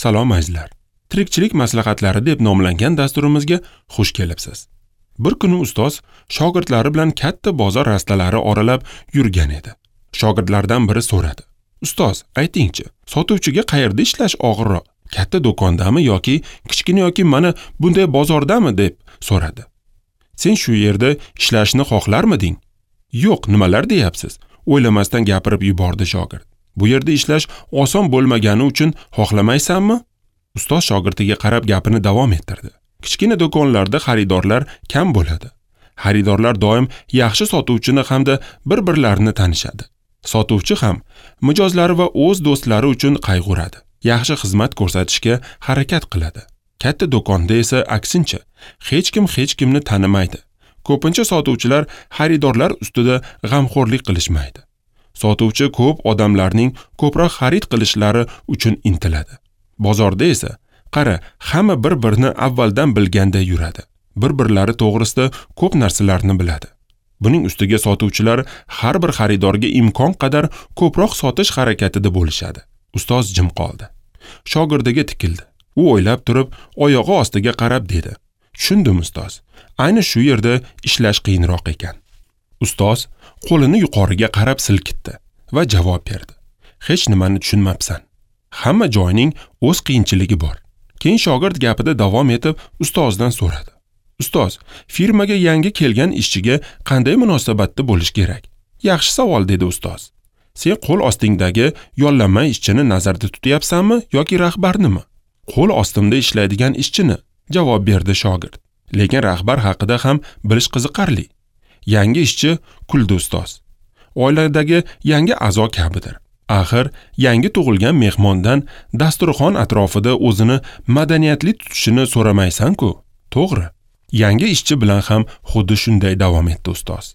Salom azizlar. Tirikchilik maslahatlari deb nomlangan dasturimizga xush kelibsiz. Bir kuni ustoz shogirdlari bilan katta bozor rastalari oralab yurgan edi. Shogirdlardan biri so'radi: "Ustoz, aytingchi, sotuvchiga qayerda ishlash og'irroq? Katta do'kondami yoki kichkina yoki mana bunday bozordami?" deb so'radi. "Sen shu yerda ishlashni xohlarmiding?" "Yo'q, nimalar deyapsiz?" o'ylamasdan gapirib yubordi shogird. "Bu yerda ishlash oson bo'lmagani uchun xohlamaysanmi?" Ustoz shogirdiga qarab gapini davom ettirdi. Kichkina do'konlarda xaridorlar kam bo'ladi. Xaridorlar doim yaxshi sotuvchini hamda bir-birlarini tanishadi. Sotuvchi ham mijozlari va o'z do'stlari uchun qayg'uradi. Yaxshi xizmat ko'rsatishga harakat qiladi. Katta do'konda esa aksincha, hech kim hech kimni tanimaydi. Ko'pincha sotuvchilar xaridorlar ustida g'amxo'rlik qilishmaydi. Sotuvchi ko'p odamlarning ko'proq xarid qilishlari uchun intiladi. Bozorda esa qara, hamma bir-birini avvaldan bilganda yuradi. Bir-birlari to'g'risida ko'p narsalarni biladi. Buning ustiga sotuvchilar har bir xaridorga imkon qadar ko'proq sotish harakatida bo'lishadi. Ustoz jim qoldi. Shogirdiga tikildi. U o'ylab turib, oyog'i ostiga qarab dedi: "Tushundim ustoz. Ayni shu yerda ishlash qiyinroq ekan." Ustoz qo'lini yuqoriga qarab silkitdi va javob berdi: "Hech nimani tushunmabsan. Hamma joyning o'z qiyinchiligi bor." Keyin shogird gapida davom etib ustozdan so'radi: "Ustoz, firmaga yangi kelgan ishchiga qanday munosabatda bo'lish kerak?" "Yaxshi savol," dedi ustoz. "Sen qo'l ostingdagi yollanma ishchini nazarda tutyapsanmi yoki rahbarnimi?" "Qo'l ostimda ishlaydigan ishchini," javob berdi shogird. "Lekin rahbar haqida ham bilish qiziqarli." "Yangi ishchi," kuldi ustoz, "oiladagi yangi a'zo kabidir. Axir yangi tug'ilgan mehmondan dasturxon atrofida o'zini madaniyatli tutishini so'ramaysan-ku." "To'g'ri. Yangi ishchi bilan ham xuddi shunday," davom etdi ustoz.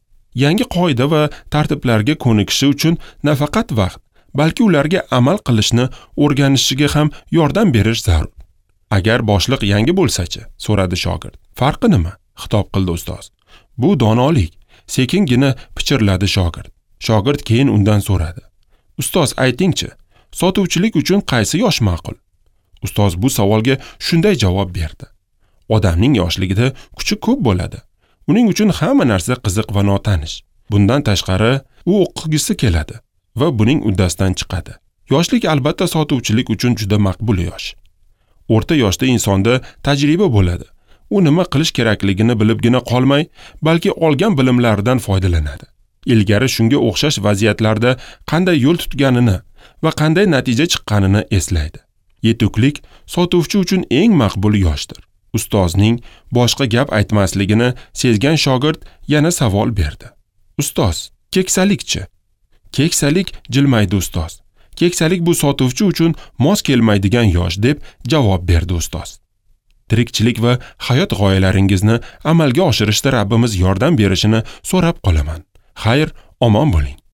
"Yangi qoida va tartiblarga ko'nikishi uchun nafaqat vaqt, balki ularga amal qilishni o'rganishiga ham yordam berish zarur." "Agar boshliq yangi bo'lsa-chi?" so'radi shogird. "Farqi nima?" xitob qildi ustoz. "Bu donolik," sekingina pichirladi shogird. Shogird keyin undan so'radi: "Ustoz, aytingchi, sotuvchilik uchun qaysi yosh ma'qul?" Ustoz bu savolga shunday javob berdi: "Odamning yoshligida kuchi ko'p bo'ladi. Uning uchun hamma narsa qiziq va notanish. Bundan tashqari, u o'qigisi keladi va buning uddasidan chiqadi. Yoshlik albatta sotuvchilik uchun juda maqbul yosh. O'rta yoshda insonda tajriba bo'ladi. U nima qilish kerakligini bilibgina qolmay, balki olgan bilimlaridan foydalanadi. Ilgari shunga o'xshash vaziyatlarda qanday yo'l tutganini va qanday natija chiqqanini eslaydi. Yetuklik sotuvchi uchun eng maqbul yoshdir." Ustozning boshqa gap aytmasligini sezgan shogird yana savol berdi: "Ustoz, keksalikchi?" "Keksalik," jilmaydi ustoz. "Keksalik bu sotuvchi uchun mos kelmaydigan yosh," deb javob berdi ustoz. Tirikchilik va hayot g'oyalaringizni amalga oshirishda Rabbimiz yordam berishini so'rab qolaman. Xayr, omon bo'ling.